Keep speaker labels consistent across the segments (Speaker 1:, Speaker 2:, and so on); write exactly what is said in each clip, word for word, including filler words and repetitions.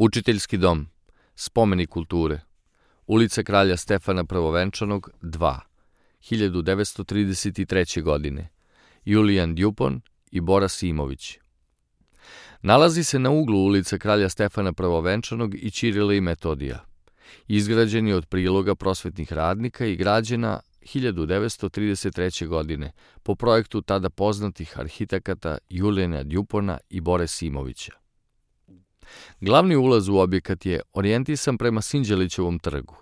Speaker 1: Učiteljski dom, spomenik kulture, ulica Kralja Stefana Prvovenčanog, dva, hiljadu devetsto trideset treće. godine, Julijan Djupon i Bora Simović. Nalazi se na uglu ulica Kralja Stefana Prvovenčanog i Ćirila i Metodija. Izgrađen je od priloga prosvetnih radnika i građena hiljadu devetsto trideset treće. godine po projektu tada poznatih arhitekata Julijana Djupona i Bore Simovića. Glavni ulaz u objekat je orijentisan prema Sinđelićevom trgu,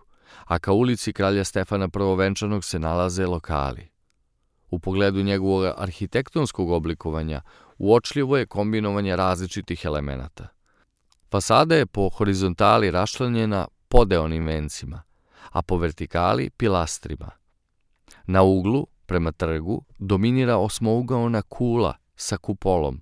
Speaker 1: a ka ulici Kralja Stefana Prvovenčanog se nalaze lokali. U pogledu njegovog arhitektonskog oblikovanja uočljivo je kombinovanje različitih elemenata. Fasada je po horizontali raščlanjena podeonim vencima, a po vertikali pilastrima. Na uglu, prema trgu, dominira osmougaona kula sa kupolom,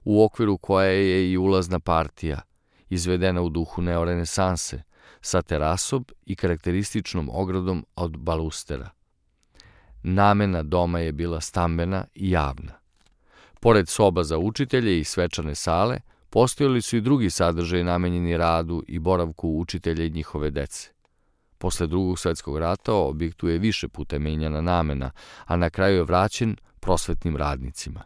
Speaker 1: u okviru koje je i ulazna partija, izvedena u duhu neorenesanse, sa terasom i karakterističnom ogradom od balustera. Namena doma je bila stambena i javna. Pored soba za učitelje i svečane sale, postojali su i drugi sadržaji namenjeni radu i boravku učitelja i njihove dece. Posle Drugog svetskog rata objektu je više puta menjana namena, a na kraju je vraćen prosvetnim radnicima.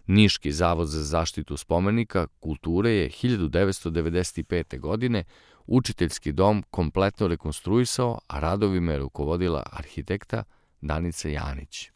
Speaker 1: Niški zavod za zaštitu spomenika kulture je hiljadu devetsto devedeset pete. godine učiteljski dom kompletno rekonstruisao, a radovima je rukovodila arhitekta Danica Janić.